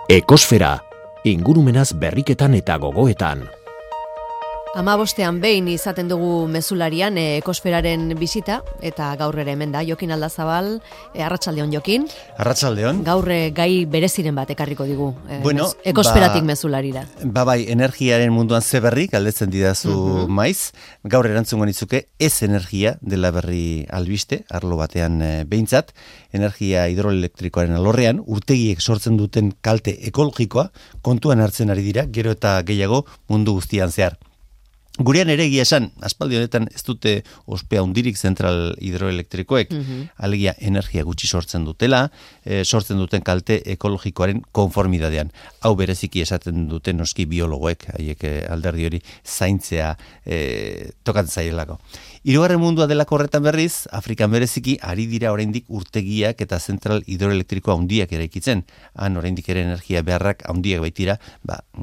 Ekosfera, ingurumenaz berriketan eta gogoetan. 15ean behin izaten dugu mezularian ekosferaren bisita, eta gaur ere hemen da, Jokin Aldazabal, arratsaldeon Jokin. Arratsaldeon. Gaur gai bereziren bat ekarriko digu, ekosferatik mezularira. Bai, energiaren munduan ze berri, galdetzen didazu maiz. Gaur erantzungo nitzuke, ez energia dela berri albiste, arlo batean behintzat, energia hidroelektrikoaren alorrean, urtegiek sortzen duten kalte ekologikoa, kontuan hartzen ari dira, gero eta gehiago mundu guztian zehar. Gurean ere egia esan, aspaldi honetan ez dute ospea hundirik zentral hidroelektrikoek, alegia energia gutxi sortzen dutela, sortzen duten kalte ekologikoaren konformidadean. Hau bereziki esaten duten noski biologoek, haiek alderdi hori zaintzea tokatzen zaielako. Hirugarren mundua delako horretan berriz, Afrikan bereziki ari dira oraindik urtegiak eta zentral hidroelektrikoa handiak eraikitzen. Han oraindik ere energia beharrak handiak baitira,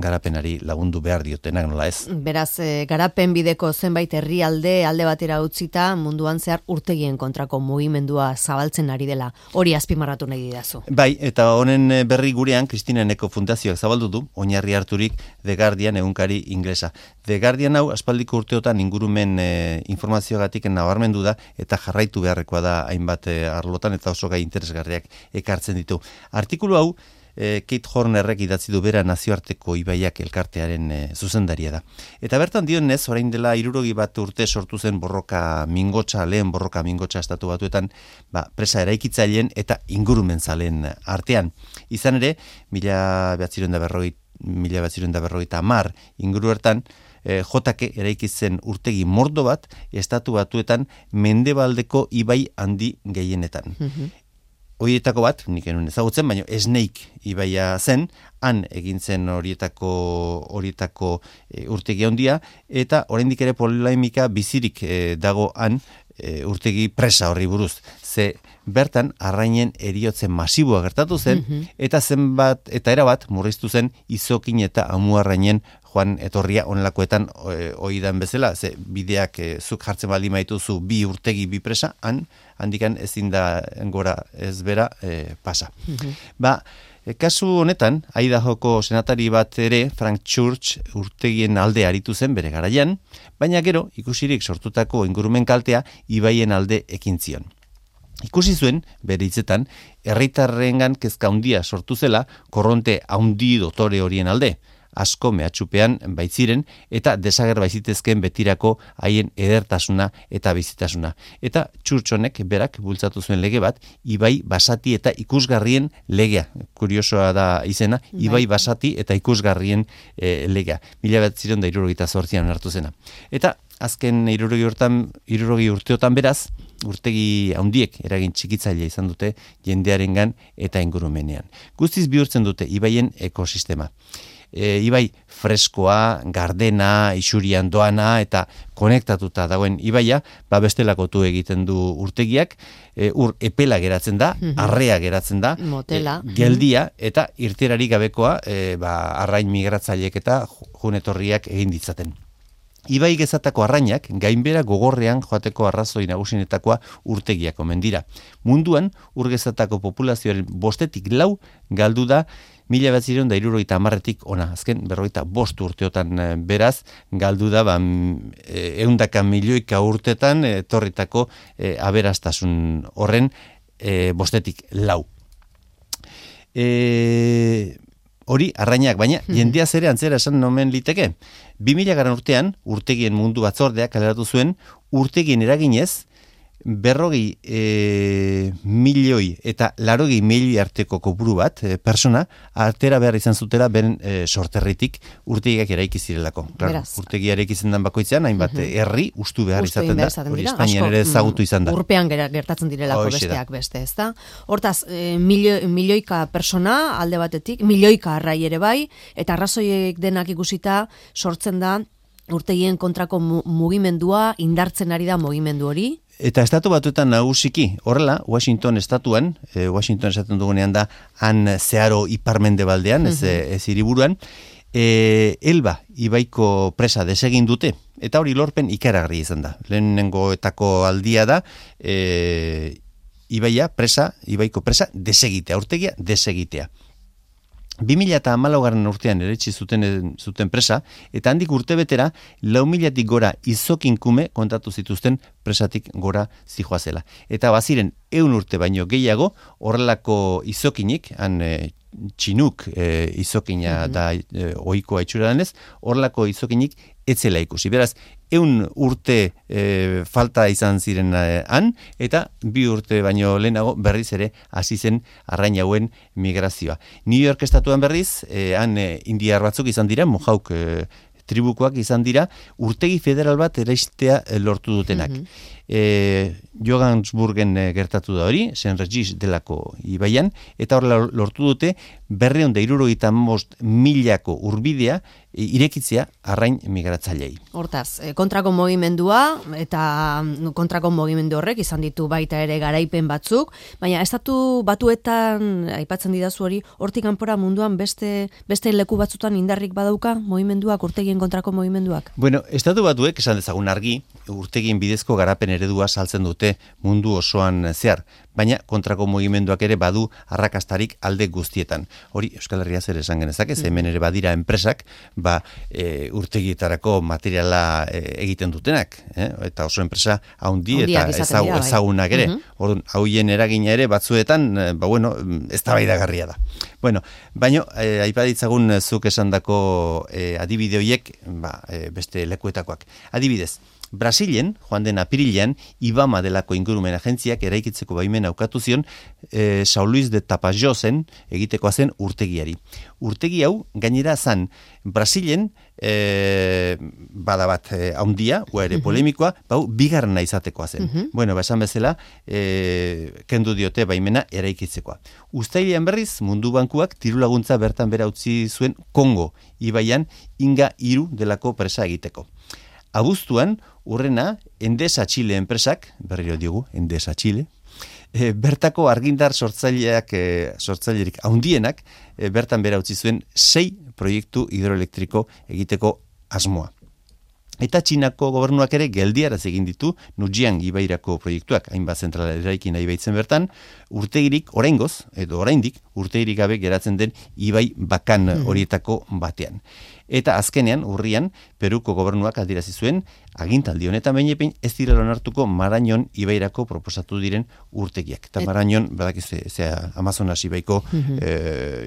garapenari lagundu behar diotenak, nola ez? Beraz, garapen bideko zenbait herrialde alde batera utzita munduan zehar urtegien kontrako mugimendua zabaltzen ari dela. Hori azpimarratu nahi didazu. Bai, eta honen berri gurean Kristina Eneko Fundazioak zabaldu du, oinarri harturik The Guardian egunkari inglesa. The Guardian hau aspaldiko urteotan ingurumen informazioagatik nabarmendu da eta jarraitu beharrekoa da hainbat arlotan eta oso gai interesgarriak ekartzen ditu. Artikulu hau Kate Hornerrek idatzi du bera nazioarteko ibaiak elkartearen zuzendaria da. Eta bertan dionez, orain dela 61 urte sortu zen lehen borroka mingotsa estatu batuetan, presa eraikitzaileen eta ingurumen zaleen artean. Izan ere, 1950 inguru hartan, jotake eraikitzen urtegi mordo bat, estatu batuetan mendebaldeko ibai handi gehienetan. Horietako bat, nik enun ezagutzen, baina Snake ibaia zen, han egintzen horietako urtegi handia, eta oraindik ere polemika bizirik dago han urtegi presa horri buruz. Ze bertan arrainen eriotzen masiboa gertatu zen, eta erabat murriztu zen izokin eta amuarrainen joan etorria onelakoetan oidan bezala, ze bideak zuk jartzen baldin maituzu bi urtegi bi presa, handikan ezin da gora ez bera pasa. Kasu honetan, Idahoko senatari bat ere, Frank Church, urtegien alde aritu zen bere garaian, baina gero, ikusirik sortutako ingurumen kaltea, ibaien alde ekin zion. Ikusi zuen, bere hitzetan, herritarrengan kezka handia sortu zela, korronte handi dotore horien alde, asko mehatxupean baitziren eta desager baitzitezken betirako haien edertasuna eta bizitasuna. Eta Txurtxonek berak bultzatu zuen lege bat, ibai basati eta ikusgarrien legea. Kuriosoa da izena, ibai basati eta ikusgarrien legea. 1978an hartu zena. Eta azken 60 urteotan beraz, urtegi handiek eragin txikitzailea izan dute jendearengan eta ingurumenean. Guztiz bihurtzen dute ibaien ekosistema. Ibai freskoa, gardena, isurian doana eta konektatuta dagoen ibaia, bestelakotu egiten du urtegiak, ur epela geratzen da, arrea geratzen da, motela, geldia eta irteerarik gabekoa arrain migratzaileek eta junetorriak egin ditzaten. Ibai gezatako arrainak gainbera gogorrean joateko arrazoi nagusinetakoa urtegiak omen dira. Munduan, urgezatako populazioaren 5/4 galdu da 1970tik ona, azken 45 urteotan beraz, galdu da 100 milioika urtetan etorritako aberastasun horren 5/4. Hori arrainak, baina jendea zere antzera esan nomen liteke. 2000 urtean, urtegien mundu batzordeak kaleratu zuen, urtegien eraginez, 40 milioi eta 80 milioi arteko kopuru bat, persona, artera behar izan zutela beren sorterritik urtegiak eraiki zirelako. Urtegia eraiki zen bakoitzean, hainbat herri ustu behar izaten da. Hori Espainian ere ezagutu izan da. Urpean gertatzen direlako besteak beste, ezta? Hortaz, milioika persona alde batetik, milioika arrai ere bai, eta arrazoiek denak ikusita sortzen da urtegien kontrako mugimendua, indartzen ari da mugimendu hori. Eta estatu batuetan nagusiki, horrela, Washington estatuan, Washington esaten dugunean da, han zeharo iparmendebaldean, ez hiriburuan, Elba ibaiko presa desegin dute, eta hori lorpen ikaragarri izan da. Lehenengoetako aldia da, ibaiko presa desegitea, urtegia desegitea. 2014 urtean eretsi zuten presa, eta handik urtebetera 4.000-tik gora izokinkume kontatu zituzten presatik gora zijoazela. Eta baziren 100 urte baino gehiago horrelako izokinik, han txinuk izokina da ohikoa itxura denez, horrelako izokinik etzela ikusi. Beraz, 100 urte falta izan ziren han, eta 2 urte baino lehenago berriz ere hasi zen arrain hauen migrazioa. New York estatuan berriz, han indiar batzuk izan dira, Mohawk tribukoak izan dira, urtegi federal bat eraistea lortu dutenak. Johannesburgen gertatu da hori, Saint Regis delako ibaian, eta horrela lortu dute 275.000 urbidea irekitzea arrain migratzailei. Hortaz, kontrako mugimendua eta kontrako mugimendu horrek izan ditu baita ere garaipen batzuk, baina estatu batuetan aipatzen didazu hori, hortik kanpora munduan beste leku batzutan indarrik badauka mugimenduak, urtegien kontrako mugimenduak? Bueno, estatu batuek esan dezagun argi, urtegien bidezko garapen eredua saltzen dute mundu osoan zehar, baina kontrako mugimenduak ere badu arrakastarik alde guztietan. Hori Euskal Herria zer esan genezake, hemen ere badira enpresak, urtegietarako materiala egiten dutenak, eta oso enpresa haundi eta ezagunak ere. Orduan, hauien eragina ere batzuetan, eztabaidagarria da. Bueno, baina aipaditzagun zuk esandako adibide horiek, beste lekuetakoak. Adibidez, Brasilen, joan den apirilean, IBAMA delako ingurumen agentziak eraikitzeko baimen aukatu zion São Luís de Tapajozen egitekoa zen urtegiari. Urtegi hau, gainera zan, Brasilen, bada bat haundia, ere polemikoa, bigarrena izatekoa zen. Bueno, esan bezala, kendu diote baimena eraikitzekoa. Uztailean berriz, Mundu Bankuak dirulaguntza bertan bera utzi zuen Kongo, ibaian Inga 3 delako presa egiteko. Abuztuan, urrena, Endesa Chile enpresak, berriro diogu, Endesa Chile, bertako argindar sortzailerik haundienak, bertan bera utzi zuen 6 proiektu hidroelektriko egiteko asmoa. Eta Txinako gobernuak ere geldiaraz egin ditu Nujiang ibairako proiektuak, hainbat zentrala eraikin nahi baitzen bertan, urtegirik, oraingoz, edo oraindik, urtegirik gabe geratzen den ibai bakan horietako batean. Eta azkenean, urrian, Peruko gobernuak adierazi zuen, agintaldi honetan behinepein ez direla onartuko Marañon ibairako proposatu diren urtegiak. Eta Marañon, badakiz, Amazonas ibaiko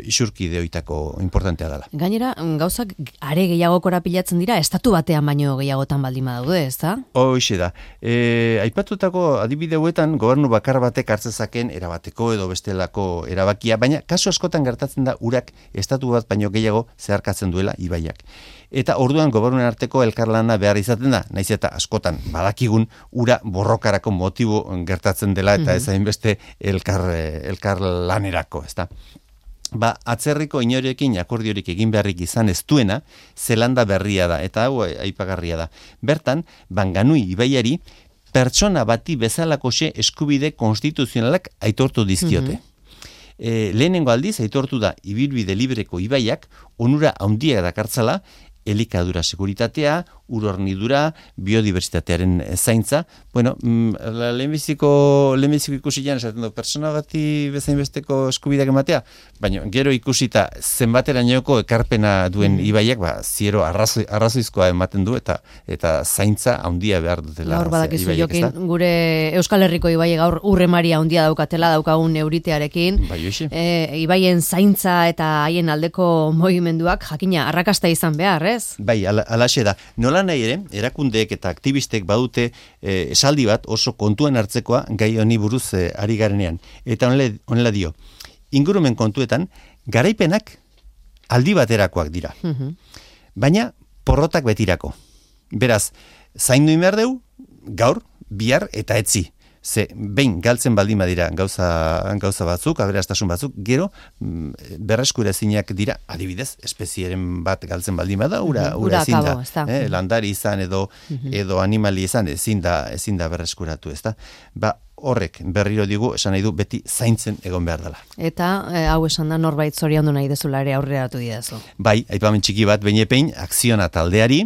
isurkide hoitako importantea dela. Gainera, gauzak are gehiago korapilatzen dira, estatu batean baino gehiagotan baldin badaude, ez da? Hoxe da. Aipatutako adibide hauetan, gobernu bakar batek hartzezaken erabateko edo bestelako erabakia, baina kasu askotan gertatzen da urak estatu bat baino gehiago zeharkatzen duela ibaiak. Eta orduan gobernuen arteko elkarlana behar izaten da, naiz eta askotan badakigun ura borrokarako motibo gertatzen dela eta ez hainbeste elkarlanerako, ezta. Atzerriko inorekin akordiorik egin beharrik izan ez duena, Zelanda berria da, eta hau aipagarria da. Bertan, Banganui ibaiari pertsona bati bezalakoxe eskubide konstituzionalak aitortu dizkiote. Lehenengo aldiz aitortu da ibilbide libreko ibaiak onura handia dakartzala, elikadura seguritatea, urornidura, biodiversitatearen zaintza. Bueno, lehenbiziko ikusian esaten du, persona bati bezainbesteko eskubideak ematea, baina gero ikusita zenbaterainoko ekarpena duen ibaiak, ziero arrazoizkoa ematen du eta zaintza handia behar dutela. Gaur badakizu jokin, gure Euskal Herriko ibaiek gaur urremaria handia daukatela, daukagun euritearekin. Ibaien zaintza eta haien aldeko mugimenduak jakina arrakasta izan behar, ez? Bai, alaxe da. Nola nahi ere, erakundeek eta aktivistek badute esaldi bat oso kontuan hartzekoa gai honi buruz ari garenean. Eta honela dio, ingurumen kontuetan, garaipenak aldi baterakoak dira. Baina porrotak betirako. Beraz, zaindu behar deu, gaur, bihar eta etzi. Ze, behin, galtzen baldin badira gauza batzuk, aberastasun batzuk, gero, berreskura ezinak dira, adibidez, espezieren bat galtzen baldin bada, ura ezin da. Landari izan edo animali izan, ezin da berreskuratu, ez da. horrek berriro digu, esan nahi du, beti zaintzen egon behar dela. Eta hau esan da norbait zoriondu nahi dezula ere aurreratu didazu. Bai, aipamen txiki bat behinepein, Akziona taldeari,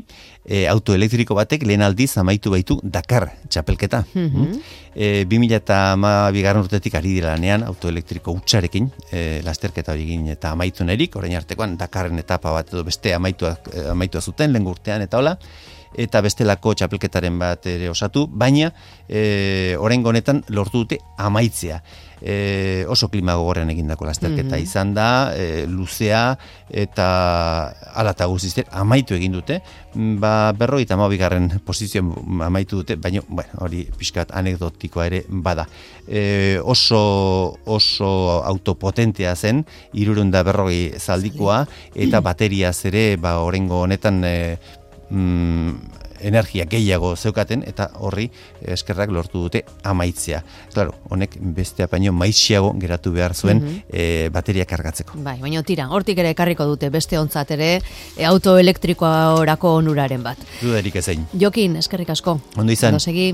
auto elektriko batek lehen aldiz amaitu baitu Dakar txapelketa. 2012 urtetik ari dira lanean autoelektriko hutsarekin, lasterketa hori egin eta amaitu nahirik, orain artekoan Dakarren etapa bat edo beste amaitua zuten, lehen urtean eta hola, eta bestelako txapelketaren bat ere osatu, baina oraingo honetan lortu dute amaitzea. Oso klima gogorrean egindako lasterketa izan da, luzea eta hala eta guztiz amaitu egin dute, 52. posizioan amaitu dute, baina hori pixkat anekdotikoa ere bada. Oso autopotentea zen, 340 zaldikoa, eta bateriaz ere oraingo honetan energia gehiago zeukaten, eta horri eskerrak lortu dute amaitzea. Claro, honek beste apaino maixiago geratu behar zuen bateria kargatzeko. Bai, baina tira, hortik ere ekarriko dute beste ontzat ere autoelektrikoa orako onuraren bat. Dudarik ezein. Jokin, eskerrik asko. Ondo izan. Ondo segi.